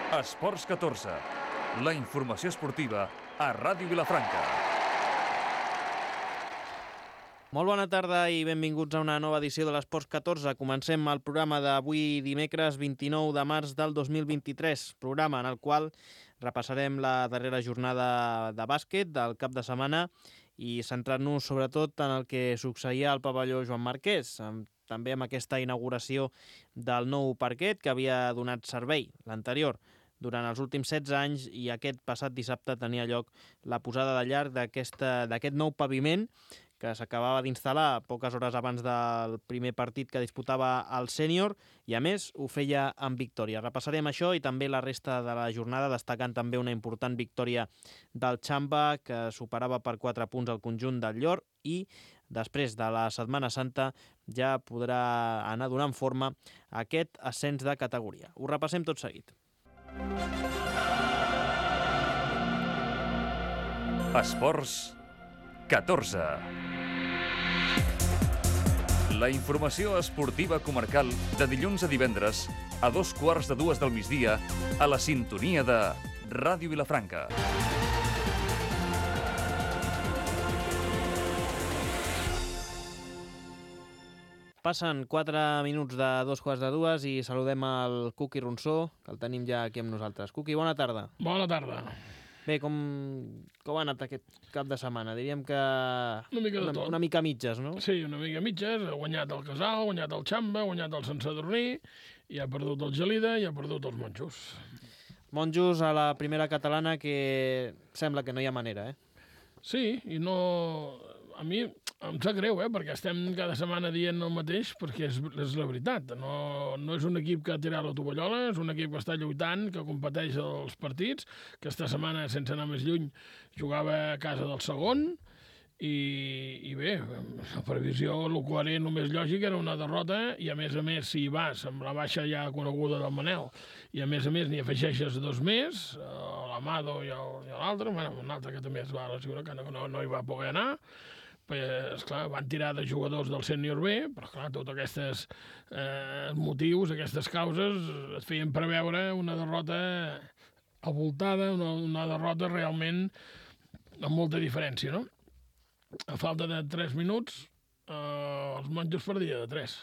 Esports 14, la informació esportiva a Ràdio Vilafranca. Molt bona tarda i benvinguts a una nova edició de l'Esports 14. Comencem el programa d'avui dimecres 29 de març del 2023, programa en el qual repassarem la darrera jornada de bàsquet del cap de setmana i centrar-nos sobretot en el que succeïa al pavelló Joan Marquès, també amb aquesta inauguració del nou parquet que havia donat servei, l'anterior, durant els últims 16 anys, i aquest passat dissabte tenia lloc la posada de llarg d'aquest nou paviment que s'acabava d'instal·lar poques hores abans del primer partit que disputava el sènior, i a més ho feia amb victòria. Repassarem això i també la resta de la jornada, destacant també una important victòria del Xamba, que superava per 4 punts el conjunt del Llor, i després de la Setmana Santa ja podrà anar donant forma a aquest ascens de categoria. Ho repassem tot seguit. Esports 14. La informació esportiva comarcal de dilluns a divendres a 2:15 del migdia a la sintonia de Ràdio Vilafranca. Passen 4 minuts de 2:15 i saludem el Cuqui Ronsó, que el tenim ja aquí amb nosaltres. Cuqui, bona tarda. Bona tarda. Bé, com ha anat aquest cap de setmana? Diríem que Una mica mitges, no? Sí, una mica mitges. Ha guanyat el Casal, ha guanyat el Xamba, ha guanyat el Sant Sadurní, i ha perdut el Gelida i ha perdut els Monjos. Monjos a la primera catalana, que sembla que no hi ha manera, eh? Sí, i no... A mi em sap greu, perquè estem cada setmana dient el mateix, perquè és la veritat. No és un equip que ha tirat la tovallola, és un equip que està lluitant, que competeix els partits, que esta setmana, sense anar més lluny, jugava a casa del segon, i bé, la previsió, el coherent, el més lògic, era una derrota, i a més, si hi vas amb la baixa ja coneguda del Manel, i a més n'hi afegeixes 2 més, l'Amado i l'altre, un altre que també es va lesionar, que no hi va poder anar. Esclar, van tirar de jugadors del sènior B, però esclar, tots aquests motius, aquestes causes, et feien preveure una derrota avoltada, una derrota realment amb molta diferència, no? A falta de 3 minuts, els Monjos perdia de 3.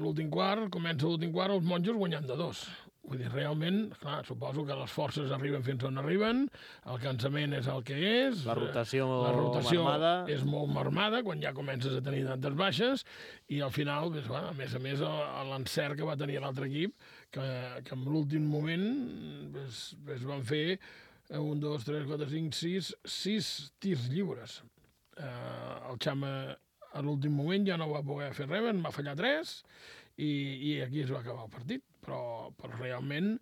L'últim quart, comença l'últim quart, els Monjos guanyant de 2. Vull dir, realment, clar, suposo que les forces arriben fins on arriben, el cansament és el que és, la rotació marmada és molt marmada quan ja comences a tenir tantes baixes, i al final, a més, l'encert que va tenir l'altre equip, que en l'últim moment van fer 1, 2, 3, 4, 5, 6 tirs lliures. El Xama a l'últim moment ja no va poder fer res, en va fallar 3, i aquí es va acabar el partit. Però realment,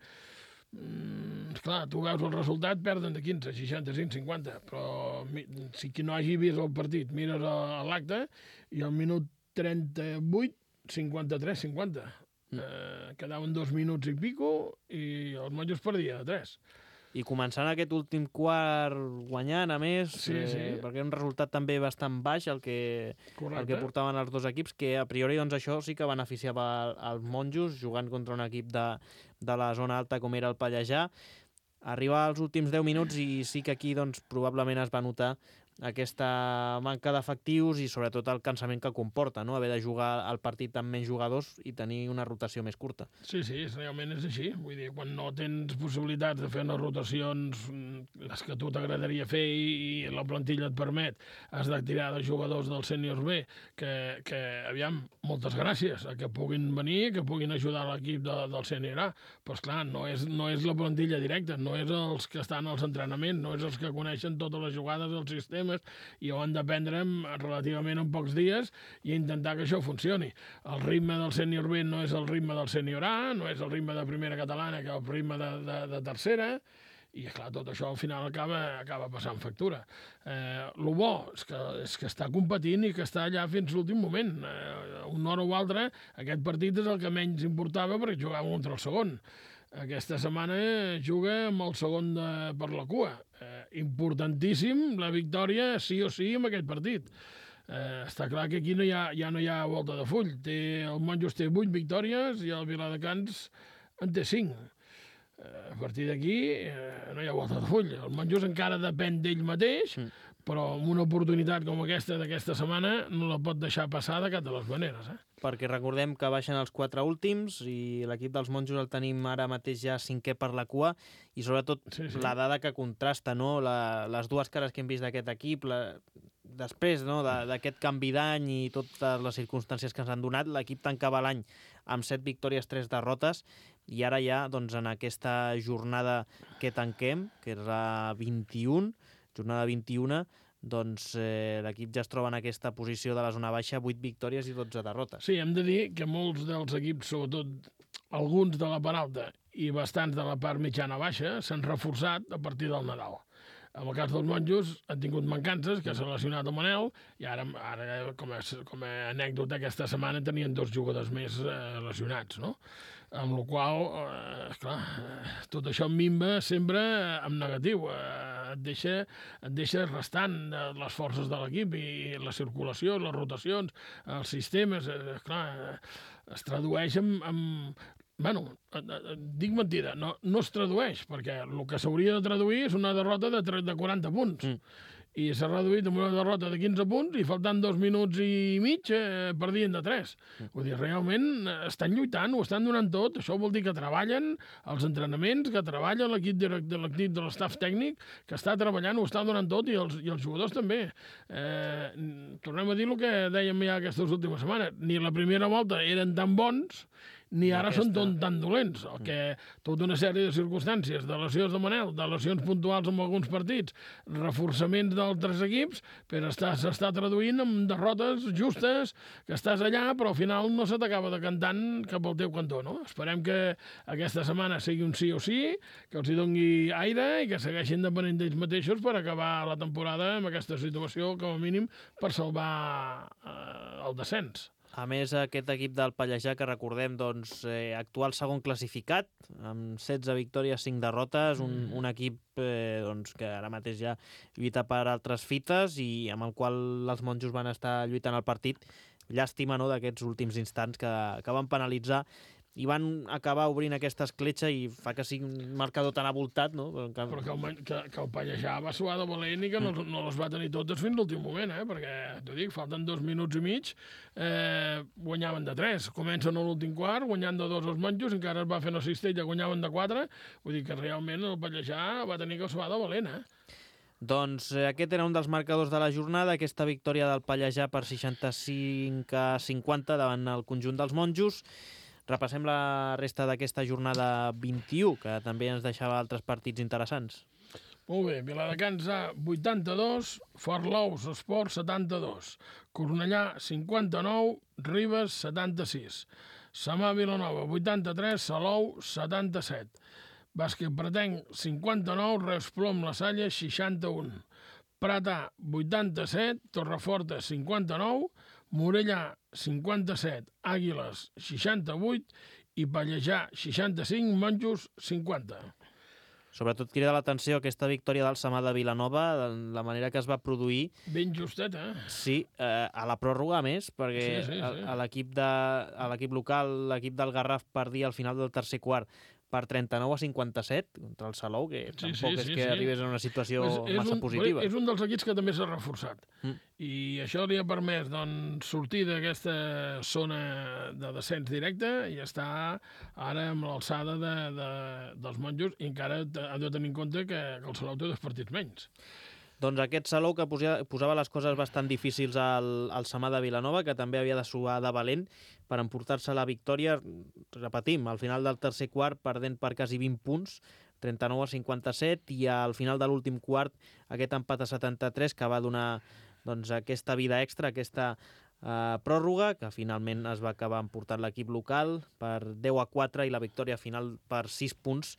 esclar, tu veus el resultat, perden de 15, 65, 50, però si qui no hagi vist el partit, mires l'acte, i al minut 38, 53, 50. Quedaven 2 minuts i pico, i els Monjos perdia de 3. I començant aquest últim quart guanyant, a més, sí. Perquè era un resultat també bastant baix el que portaven els dos equips, que a priori doncs, això sí que beneficiava els Monjos, jugant contra un equip de la zona alta com era el Pallejà. Arriba als últims 10 minuts i sí que aquí doncs, probablement es va notar aquesta manca d'efectius i sobretot el cansament que comporta, no? Haver de jugar el partit amb menys jugadors i tenir una rotació més curta. Sí, realment és així. Vull dir, quan no tens possibilitats de fer unes rotacions, les que tu t'agradaria fer i la plantilla et permet, has de tirar de jugadors del sènior B, que aviam, moltes gràcies a que puguin venir, que puguin ajudar l'equip del sènior A, però esclar, no és la plantilla directa, no és els que estan als entrenaments, no és els que coneixen totes les jugades del sistema, i ho han d'aprendre relativament en pocs dies i intentar que això funcioni. El ritme del sènior B no és el ritme del sènior A, no és el ritme de primera catalana, que és el ritme de tercera, i clar, tot això al final acaba passant factura. El bo és que està competint i que està allà fins l'últim moment. Una hora o altra, aquest partit és el que menys importava perquè jugava contra el segon. Aquesta setmana juga amb el segon per la cua. Importantíssim la victòria, sí o sí, en aquest partit. Està clar que aquí ja no hi ha volta de full. El Monjos té 8 victòries i el Viladecans en té 5. A partir d'aquí no hi ha volta de full. El Monjos encara depèn d'ell mateix, però amb una oportunitat com aquesta d'aquesta setmana no la pot deixar passar de cap de les maneres. Perquè recordem que baixen els 4 últims i l'equip dels Monjos el tenim ara mateix ja 5è per la cua i sobretot la dada que contrasta, no? Les dues cares que hem vist d'aquest equip, després d'aquest canvi d'any i totes les circumstàncies que ens han donat, l'equip tancava l'any amb 7 victòries, 3 derrotes i ara ja en aquesta jornada que tanquem, que és la 21, jornada 21, l'equip ja es troba en aquesta posició de la zona baixa, 8 victòries i 12 derrotes. Sí, hem de dir que molts dels equips, sobretot alguns de la part alta i bastants de la part mitjana-baixa, s'han reforçat a partir del Nadal. En el cas dels Monjos han tingut mancances, que s'ha lesionat el Manel, i ara com a anècdota, aquesta setmana tenien 2 jugadors més lesionats, no? Amb la qual cosa, tot això minva sempre en negatiu. Et deixa restant les forces de l'equip i la circulació, les rotacions, els sistemes. Es tradueix en bueno, dic mentida, no es tradueix, perquè el que s'hauria de traduir és una derrota de 40 punts. I s'ha reduït amb una derrota de 15 punts i faltant 2 minuts i mig perdien de 3. Vull dir, realment estan lluitant, ho estan donant tot. Això vol dir que treballen els entrenaments, que treballa l'equip de l'estaf tècnic, que està treballant, ho està donant tot, i els jugadors també. Tornem a dir el que dèiem ja aquestes últimes setmanes. Ni la primera volta eren tan bons, ni ara són tan dolents. Tota una sèrie de circumstàncies, de lesions de Manel, de lesions puntuals en alguns partits, reforçaments d'altres equips, però s'està traduint en derrotes justes, que estàs allà, però al final no se t'acaba decantant cap al teu cantó, no? Esperem que aquesta setmana sigui un sí o sí, que els hi doni aire i que segueixin depenent d'ells mateixos per acabar la temporada amb aquesta situació, com a mínim, per salvar el descens. A més, aquest equip del Pallejà, que recordem, actual segon classificat, amb 16 victòries, 5 derrotes, un equip que ara mateix ja lluita per altres fites i amb el qual els Monjos van estar lluitant el partit. Llàstima, no?, d'aquests últims instants que van penalitzar i van acabar obrint aquesta escletxa i fa que sigui un marcador tan avoltat, no? Però que el Pallejà va suar de valent i que no les va tenir totes fins l'últim moment, perquè, t'ho dic, falten 2 minuts i mig, guanyaven de 3. Comencen a l'últim quart, guanyant de 2 els Monjos, encara es va fer una cistella, guanyaven de 4, vull dir que realment el Pallejà va tenir que suar de valent, Doncs aquest era un dels marcadors de la jornada, aquesta victòria del Pallejà per 65-50 davant el conjunt dels Monjos. Repassem la resta d'aquesta jornada 21, que també ens deixava altres partits interessants. Molt bé, Viladecans A 82, Forlous Esport 72, Cornellà 59, Ribes 76, Samà Vilanova 83, Salou 77, Bàsquet Pretenc 59, Reus Plom La Salle 61, Pratà 87, Torreforta 59, Morellà 57, Àguiles 68 i Pallejà 65, Monjos 50. Sobretot crida l'atenció aquesta victòria del Samà de Vilanova, la manera que es va produir. Ben justet, Sí, a la pròrroga, a més, perquè sí. l'equip local, l'equip del Garraf, perdia al final del tercer quart per 39-57 contra el Salou, que tampoc és que arribés en una situació massa positiva. És un dels equips que també s'ha reforçat. I això li ha permès sortir d'aquesta zona de descens directe i està ara amb l'alçada dels Monjos, i encara ha de tenir en compte que el Salou té 2 partits menys. Doncs aquest Salou que posava les coses bastant difícils al Samà de Vilanova, que també havia de suar de valent per emportar-se la victòria, repetim, al final del tercer quart perdent per quasi 20 punts, 39-57, i al final de l'últim quart aquest empat a 73 que va donar aquesta vida extra, aquesta pròrroga, que finalment es va acabar emportant l'equip local per 10-4 i la victòria final per 6 punts,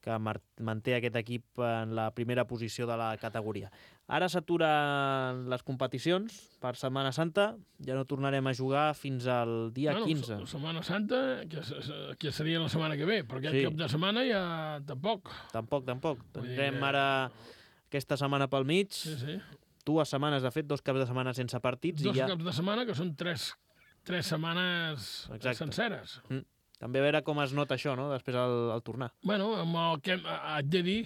que manté aquest equip en la primera posició de la categoria. Ara s'aturen les competicions per Setmana Santa, ja no tornarem a jugar fins al dia 15. Setmana Santa, que seria la setmana que ve, però aquest cap de setmana ja tampoc. Tampoc. Tindrem ara aquesta setmana pel mig, 2 setmanes, de fet, 2 caps de setmana sense partits. 2 caps de setmana, que són 3 setmanes senceres. també a veure com es nota això, no?, després al tornar. Bueno, amb el que haig de dir,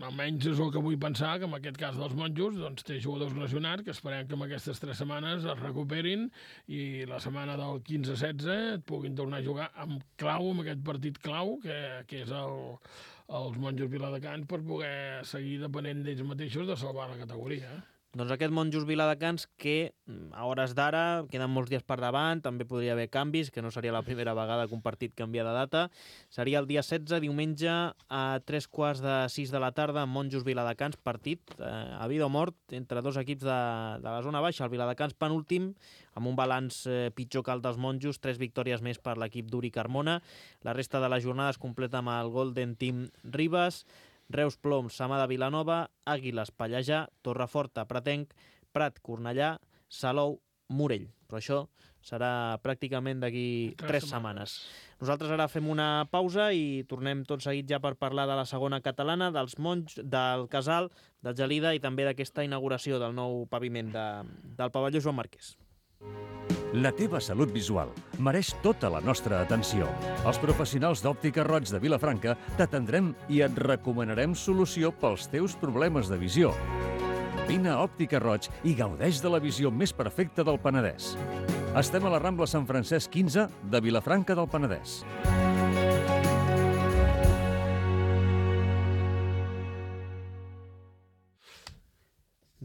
almenys és el que vull pensar, que en aquest cas dels monjos doncs, té jugadors lesionats, que esperem que en aquestes 3 setmanes es recuperin i la setmana del 15-16 et puguin tornar a jugar amb aquest partit clau, que és els monjos Viladecans, per poder seguir depenent d'ells mateixos de salvar la categoria. Doncs aquest Monjos Viladecans que a hores d'ara queden molts dies per davant, també podria haver canvis, que no seria la primera vegada que un partit canvia de data. Seria el dia 16, diumenge, a 3:45 de la tarda, Monjos Viladecans, partit a vida o mort entre 2 equips de la zona baixa. El Viladecans penúltim, amb un balanç pitjor que el dels Monjos, 3 victòries més per l'equip d'Uri Carmona. La resta de la jornada es completa amb el Golden Team Ribes, Reus Ploms, Samà de Vilanova, Àguiles Pallejà, Torreforta Pratenc, Prat Cornellà, Salou Morell. Però això serà pràcticament d'aquí 3 setmanes. Nosaltres ara fem una pausa i tornem tot seguit ja per parlar de la segona catalana, dels Monjos, del Casal, del Gelida i també d'aquesta inauguració del nou paviment del pavelló Joan Marquès. La teva salut visual mereix tota la nostra atenció. Els professionals d'Òptica Roig de Vilafranca t'atendrem i et recomanarem solució pels teus problemes de visió. Vine a Òptica Roig i gaudeix de la visió més perfecta del Penedès. Estem a la Rambla Sant Francesc 15 de Vilafranca del Penedès.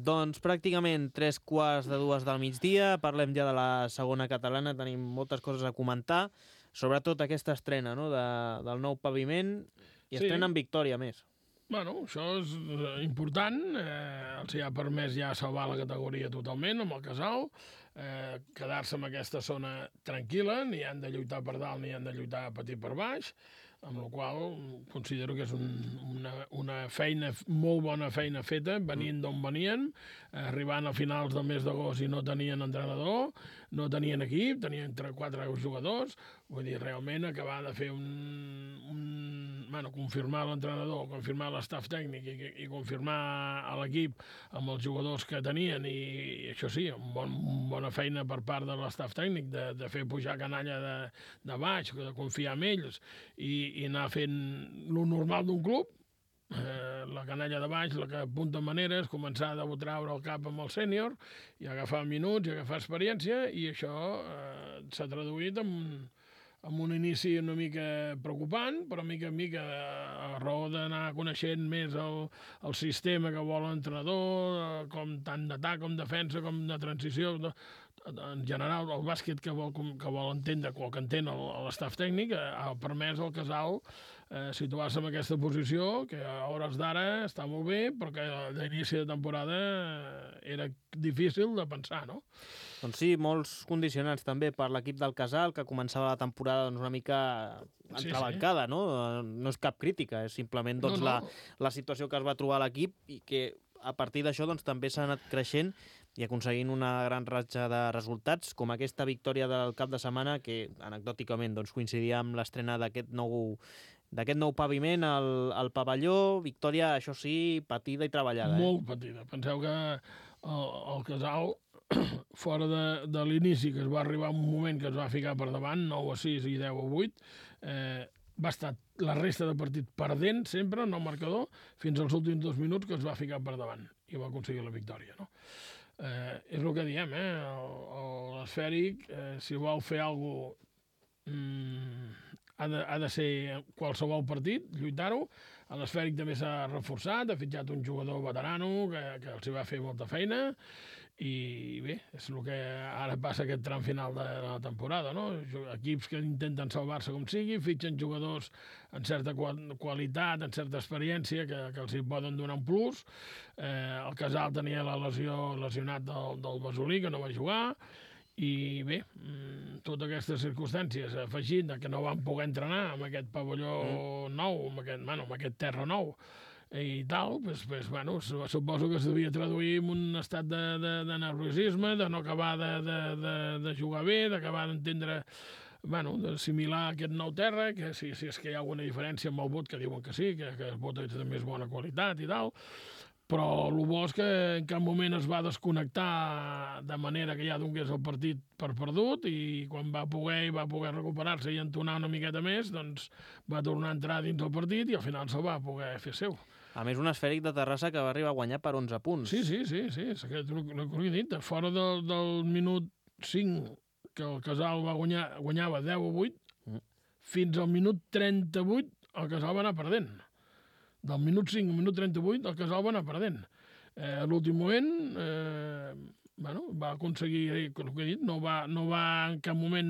Doncs pràcticament 3:45 del migdia, parlem ja de la segona catalana, tenim moltes coses a comentar, sobretot aquesta estrena, no?, del nou paviment, i estrena amb victòria més. Bueno, això és important, els ha permès ja salvar la categoria totalment amb el Casal, quedar-se en aquesta zona tranquil·la, ni han de lluitar per dalt ni han de lluitar a patir per baix, amb la qual considero que és una feina, molt bona feina feta, venint d'on venien, arribant a finals del mes d'agost i no tenien entrenador, no tenien equip, tenien 4 jugadors, vull dir, realment acabar de fer confirmar l'entrenador, confirmar l'estaf tècnic i confirmar a l'equip amb els jugadors que tenien, i això sí, bona feina per part de l'estaf tècnic de fer pujar canalla de baix, de confiar en ells i anar fent lo normal d'un club, la canalla de baix, la que apunta maneres, començar a treure el cap amb el sènior i agafar minuts i agafar experiència, i això s'ha traduït amb un inici una mica preocupant, però mica en mica, a raó d'anar coneixent més el sistema que vol l'entrenador, com tant d'atac com defensa com de transició, en general el bàsquet que vol entendre, o que entén l'estaf tècnic, ha permès al Casal situar-se en aquesta posició, que a hores d'ara està molt bé, però que d'inici de temporada era difícil de pensar, no? Doncs sí, molts condicionants també per l'equip del Casal, que començava la temporada una mica entrebancada, no? No és cap crítica, és simplement la situació que es va trobar l'equip, i que a partir d'això també s'ha anat creixent i aconseguint una gran ratxa de resultats, com aquesta victòria del cap de setmana, que anecdòticament coincidia amb l'estrena d'aquest nou paviment al pavelló. Victòria, això sí, patida i treballada. Molt patida. Penseu que el Casal, fora de l'inici, que es va arribar a un moment que es va ficar per davant, 9-6 i 10-8, va estar la resta de partit perdent sempre en el marcador fins als últims 2 minuts, que es va ficar per davant i va aconseguir la victòria, no? És el que diem, l'esfèric, si vol fer alguna cosa, ha de ser qualsevol partit, lluitar-ho. L'esfèric també s'ha reforçat, ha fitxat un jugador veterano que els va fer molta feina, i bé, és el que ara passa aquest tram final de la temporada, no? Equips que intenten salvar-se com sigui, fitxen jugadors en certa qualitat, en certa experiència, que els hi poden donar un plus. El Casal tenia la lesionat del Basolí, que no va jugar, i bé, totes aquestes circumstàncies, afegint que no van poder entrenar amb aquest pavelló nou, amb aquest terra nou, i tal, suposo que es devia traduir en un estat de nerviosisme, de no acabar de jugar bé, d'acabar d'entendre, d'assimilar aquest nou terra, que si és que hi ha alguna diferència amb el vot, que diuen que sí, que el vot és de més bona qualitat i tal, però el bo és que en cap moment es va desconnectar de manera que ja donés el partit per perdut, i quan va poder recuperar-se i entonar una miqueta més, doncs va tornar a entrar dins el partit i al final se'l va poder fer seu. A més, un Esfèric de Terrassa que va arribar a guanyar per 11 punts. Sí, és aquest el que he dit. Fora del minut 5, que el Casal guanyava 10-8, fins al minut 38 el Casal va anar perdent. Del minut 5 al minut 38 el Casal va anar perdent. A l'últim moment va aconseguir, el que he dit, no va en cap moment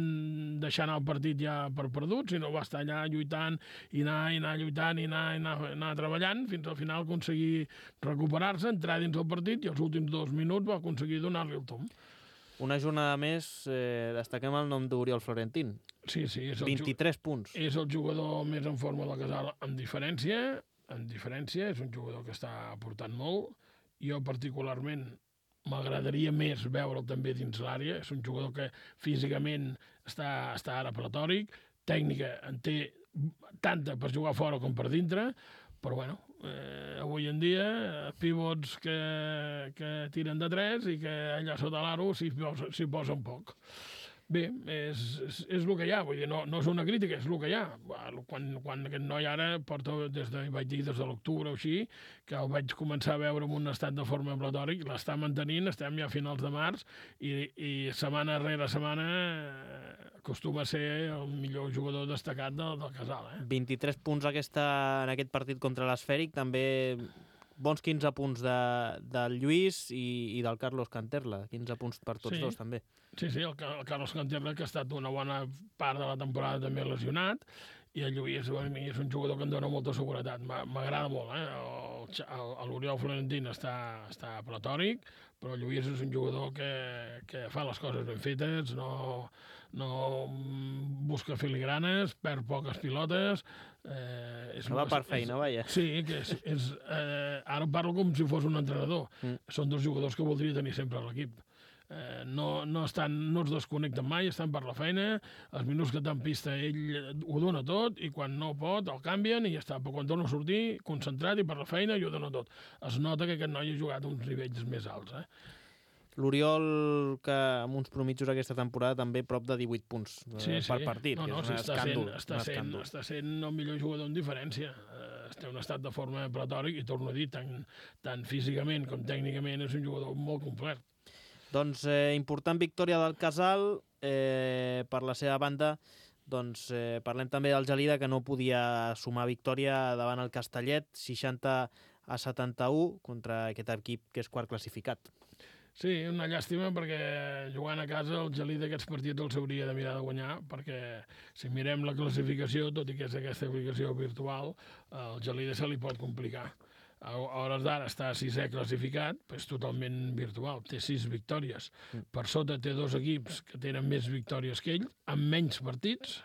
deixar anar el partit ja per perdut, sinó va estar allà lluitant i anar lluitant i anar treballant fins al final aconseguir recuperar-se, entrar dins el partit, i els últims 2 minuts va aconseguir donar-li el tomb. Una jornada més, destaquem el nom d'Oriol Florentín. Sí, és 23 punts. És el jugador més en forma del Casal amb diferència, és un jugador que està aportant molt. Jo particularment m'agradaria més veure'l també dins l'àrea. És un jugador que físicament està ara pretòric, tècnica en té tanta per jugar fora com per dintre, però bueno, avui en dia pivots que tiren de 3 i que allà sota l'aro s'hi posen poc. Bé, és el que hi ha, vull dir, no és una crítica, és el que hi ha. Quan aquest noi ara porta, des de l'octubre o així, que el vaig començar a veure en un estat de forma platòric, l'està mantenint, estem ja a finals de març, i setmana rere setmana acostuma a ser el millor jugador destacat del Casal. 23 punts en aquest partit contra l'Esfèric, també bons 15 punts del Lluís i del Carlos Canterla, 15 punts per tots dos també. Sí, el Carlos Canterla, que ha estat una bona part de la temporada també lesionat, i el Lluís és un jugador que em dona molta seguretat, m'agrada molt. L'Oriol Florentín està platòric, però el Lluís és un jugador que fa les coses ben fetes, no busca filigranes, perd poques pilotes. No va per feina, vaja. Sí, ara parlo com si fos un entrenador. Són 2 jugadors que voldria tenir sempre a l'equip. No es desconnecten mai, estan per la feina, els minuts que està en pista ell ho dona tot, i quan no pot el canvien i ja està, però quan torna a sortir concentrat i per la feina i ho dona tot. Es nota que aquest noi ha jugat a uns nivells més alts. L'Oriol, que amb uns promitjos aquesta temporada també prop de 18 punts per partit, que és un escàndol. Està sent el millor jugador en diferència. Té un estat de forma platòric i, torno a dir, tant físicament com tècnicament és un jugador molt complet. Doncs important victòria del Casal. Per la seva banda, doncs parlem també del Gelida, que no podia sumar victòria davant el Castellet, 60-71 contra aquest equip que és quart classificat. Sí, una llàstima, perquè jugant a casa el Gelida aquests partits els hauria de mirar de guanyar, perquè si mirem la classificació, tot i que és aquesta classificació virtual, el Gelida se li pot complicar. A hores d'ara està 6è classificat, però és totalment virtual, té 6 victòries. Per sota té 2 equips que tenen més victòries que ell, amb menys partits,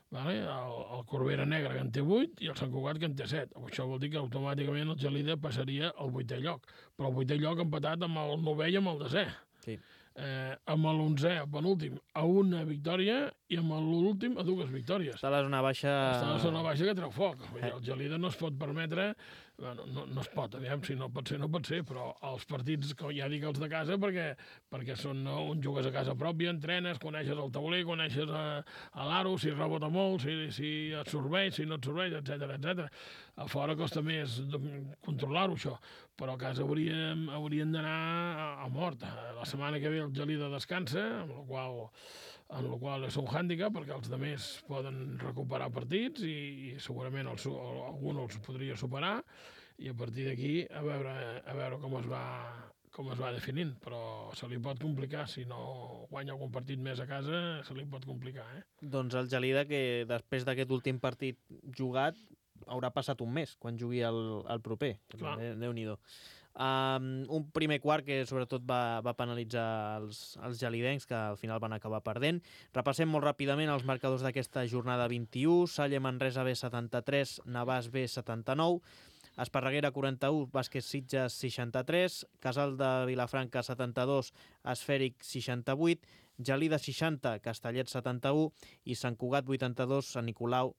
el Corbera Negra, que en té 8, i el Sant Cugat, que en té 7. Això vol dir que automàticament el Gelida passaria al 8è lloc, però el 8è lloc empatat amb el 9è i amb el 10è. Sí. Amb l'11è, el penúltim, a una victòria, i amb l'últim a 2 victòries. Està a la zona baixa... Està a la zona baixa que treu foc. El Gelida no es pot permetre... No es pot, aviam, si no pot ser, no pot ser, però els partits, ja dic els de casa, perquè són on jugues a casa pròpia, entrenes, coneixes el tauler, coneixes a l'aro, si rebota molt, si et serveix, si no et serveix, etc. A fora costa més controlar-ho, això, però a casa haurien d'anar a mort. La setmana que ve el Gelida descansa, amb la qual és un hàndicap, perquè els altres poden recuperar partits i segurament algun els podria superar, i a partir d'aquí a veure com es va definint, però se li pot complicar. Si no guanya algun partit més a casa, se li pot complicar. Doncs el Gelida, que després d'aquest últim partit jugat haurà passat un mes quan jugui el proper. Déu-n'hi-do. Un primer quart que sobretot va penalitzar els gelidencs, que al final van acabar perdent. Repassem molt ràpidament els marcadors d'aquesta jornada 21. Salle Manresa B 73, Navàs B 79, Esparreguera 41, Bàsquet Sitges 63, Casal de Vilafranca 72, Esfèric 68, Gelida 60, Castellet 71 i Sant Cugat 82, Sant Nicolau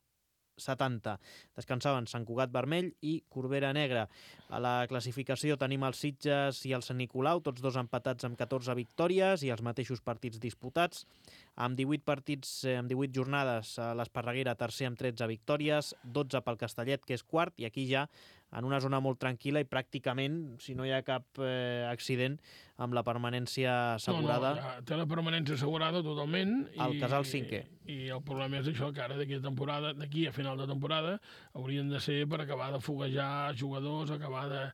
70. Descansaven Sant Cugat Vermell i Corbera Negra. A la classificació tenim els Sitges i el Sant Nicolau, tots dos empatats amb 14 victòries i els mateixos partits disputats. Amb 18 partits, amb 18 jornades, l'Esparreguera tercer amb 13 victòries, 12 pel Castellet, que és quart, i aquí ja en una zona molt tranquil·la i pràcticament, si no hi ha cap accident, amb la permanència assegurada. No, té la permanència assegurada totalment. El Casal cinquè. I el problema és això, que ara d'aquí a final de temporada haurien de ser per acabar de foguejar jugadors, acabar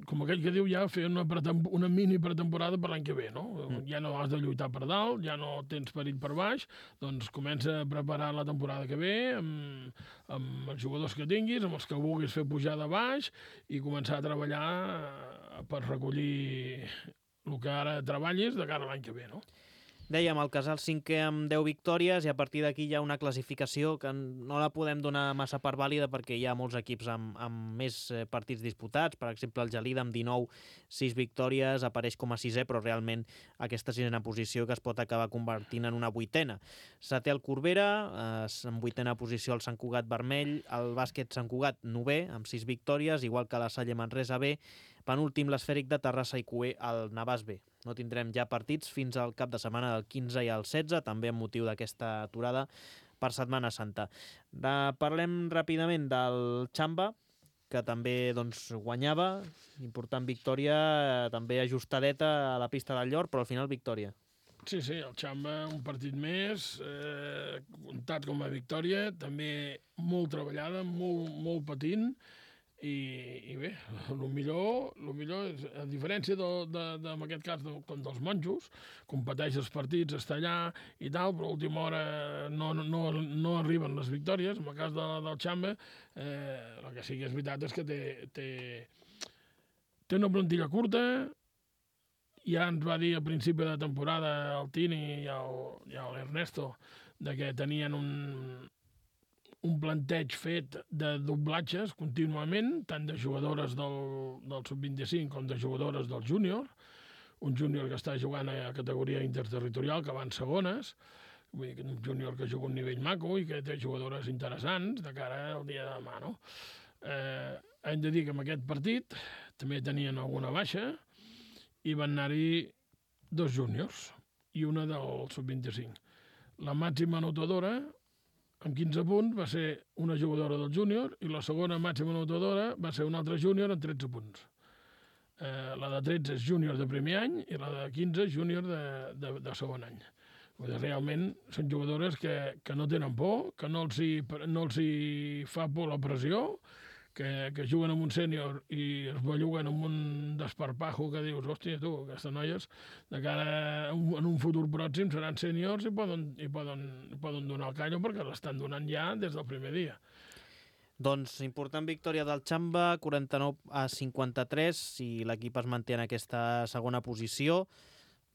com aquell que diu, ja fer una mini pretemporada per l'any que ve, no? Ja no has de lluitar per dalt, ja no tens perill per baix, doncs comença a preparar la temporada que ve amb els jugadors que tinguis, amb els que vulguis fer pujar de baix i començar a treballar per recollir el que ara treballis de cara a l'any que ve, no? Dèiem, el Casal cinquè amb 10 victòries i a partir d'aquí hi ha una classificació que no la podem donar massa per vàlida perquè hi ha molts equips amb més partits disputats. Per exemple, el Gelida amb 19, 6 victòries, apareix com a sisè, però realment aquesta sisena posició que es pot acabar convertint en una vuitena. Setè el Corbera, en vuitena posició el Sant Cugat Vermell, el Bàsquet Sant Cugat 9è, amb 6 victòries, igual que la Salle Manresa B, penúltim l'Esfèric de Terrassa i Cué al Navàs B. No tindrem ja partits fins al cap de setmana del 15 i el 16, també amb motiu d'aquesta aturada per Setmana Santa. Parlem ràpidament del Xamba, que també guanyava, important victòria, també ajustadeta a la pista del Llor, però al final victòria. Sí, el Xamba, un partit més, comptat com a victòria, també molt treballada, molt patint, i bé, el millor és, a diferència en aquest cas com dels monjos, competeix els partits, està allà i tal, però a última hora no arriben les victòries. En el cas del Xamba, el que sí que és veritat és que té una plantilla curta. Ja ens va dir al principi de temporada el Tini i l'Ernesto que tenien un planteig fet de doblatges contínuament, tant de jugadores del sub-25 com de jugadores del júnior. Un júnior que està jugant a categoria interterritorial, que va en segones, vull dir, un júnior que juga a un nivell maco i que té jugadores interessants de cara al dia de demà, no? Hem de dir que en aquest partit també tenien alguna baixa i van anar-hi 2 júniors i una del sub-25. La màxima anotadora amb 15 punts va ser una jugadora del júnior i la segona màxima anotadora va ser una altra júnior amb 13 punts. La de 13 és júnior de primer any i la de 15 és júnior de segon any. Realment són jugadores que no tenen por, que no els hi fa por la pressió, que juguen amb un sènior i es belluguen amb un desparpajo que dius, hòstia, tu, aquestes noies, de cara en un futur pròxim seran sèniors i poden donar el callo perquè l'estan donant ja des del primer dia. Doncs important victòria del Xamba, 49-53, si l'equip es manté en aquesta segona posició.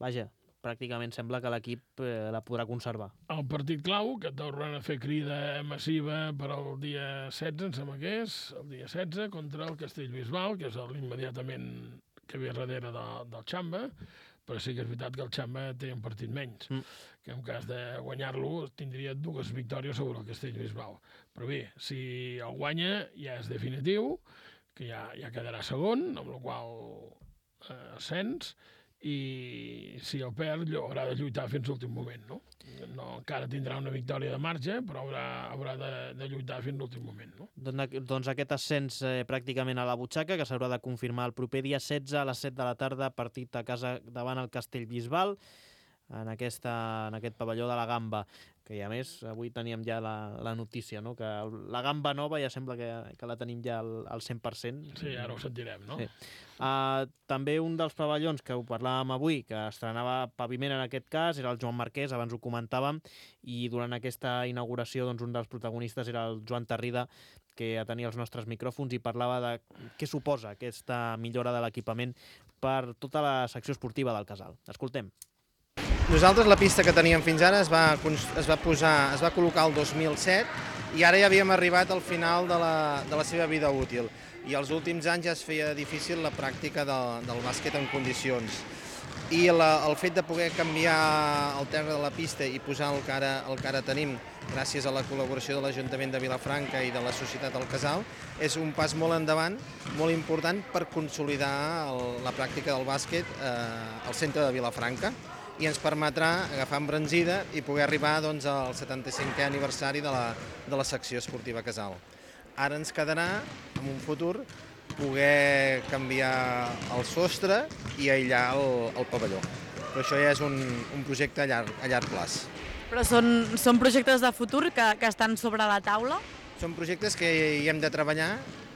Vaja, pràcticament sembla que l'equip la podrà conservar. El partit clau, que tornen a fer crida massiva per al dia 16, em sembla que és, el dia 16, contra el Castellbisbal, que és l'immediatament que ve darrere del Xamba, però sí que és veritat que el Xamba té un partit menys, que en cas de guanyar-lo tindria 2 victòries sobre el Castellbisbal. Però bé, si el guanya ja és definitiu, que ja quedarà segon, amb la qual ascens, i si el perd haurà de lluitar fins a l'últim moment, no? Encara tindrà una victòria de marge, però haurà de lluitar fins a l'últim moment, no? Doncs aquest ascens pràcticament a la butxaca, que s'haurà de confirmar el proper dia 16 a les 7 de la tarda, partit a casa davant el Castellbisbal, en aquest pavelló de la Gamba, que a més avui teníem ja la notícia, no? Que la Gamba nova ja sembla que la tenim ja al 100%. Sí, ara ho sentirem, no? Sí. També un dels pavellons que ho parlàvem avui, que estrenava paviment en aquest cas, era el Joan Marquès, abans ho comentàvem, i durant aquesta inauguració un dels protagonistes era el Joan Tarrida, que tenia els nostres micròfons i parlava de què suposa aquesta millora de l'equipament per tota la secció esportiva del Casal. Escoltem. Nosaltres la pista que teníem fins ara es va col·locar el 2007 i ara ja havíem arribat al final de la seva vida útil. I els últims anys ja es feia difícil la pràctica del bàsquet en condicions. I el fet de poder canviar el terra de la pista i posar el que ara tenim gràcies a la col·laboració de l'Ajuntament de Vilafranca i de la Societat El Casal és un pas molt endavant, molt important per consolidar la pràctica del bàsquet al centre de Vilafranca i ens permetrà agafar embranzida i poder arribar doncs, al 75è aniversari de la secció esportiva Casal. Ara ens quedarà, en un futur, poder canviar el sostre i aïllar el pavelló. Però això ja és un projecte a llarg plaç. Però són projectes de futur que estan sobre la taula? Són projectes que hi hem de treballar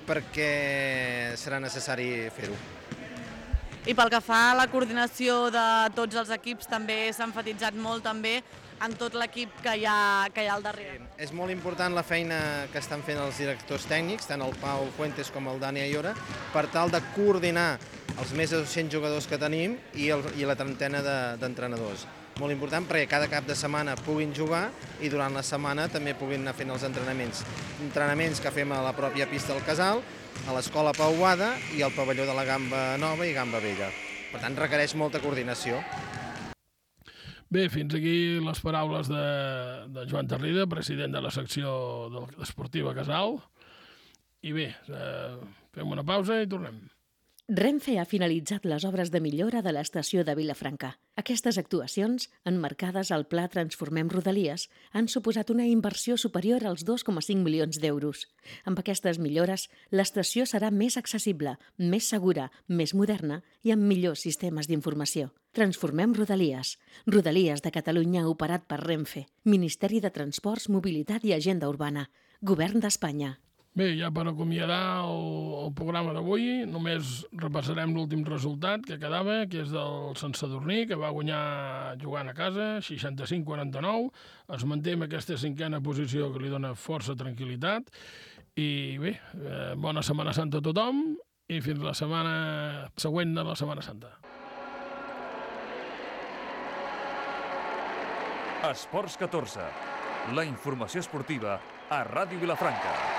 perquè serà necessari fer-ho. I pel que fa a la coordinació de tots els equips, també s'ha emfatitzat molt també en tot l'equip que hi ha al darrere. És molt important la feina que estan fent els directors tècnics, tant el Pau Fuentes com el Dani Ayora, per tal de coordinar els més de 200 jugadors que tenim i la trentena d'entrenadors. Molt important perquè cada cap de setmana puguin jugar i durant la setmana també puguin anar fent els entrenaments. Entrenaments que fem a la pròpia pista del Casal, a l'escola Pau Boada i al pavelló de la Gamba Nova i Gamba Vella. Per tant, requereix molta coordinació. Bé, fins aquí les paraules de Joan Tarrida, president de la secció esportiva Casal. I bé, fem una pausa i tornem. Renfe ha finalitzat les obres de millora de l'estació de Vilafranca. Aquestes actuacions, emmarcades al Pla Transformem Rodalies, han suposat una inversió superior als 2,5 milions d'euros. Amb aquestes millores, l'estació serà més accessible, més segura, més moderna i amb millors sistemes d'informació. Transformem Rodalies. Rodalies de Catalunya operat per Renfe. Ministeri de Transports, Mobilitat i Agenda Urbana. Govern d'Espanya. Bé, ja per acomiadar el programa d'avui, només repassarem l'últim resultat que quedava, que és del Sant Sadurní, que va guanyar jugant a casa, 65-49. Es manté en aquesta cinquena posició que li dona força tranquil·litat. I bé, bona Setmana Santa a tothom i fins la setmana següent de la Setmana Santa. Esports 14, la informació esportiva a Ràdio Vilafranca.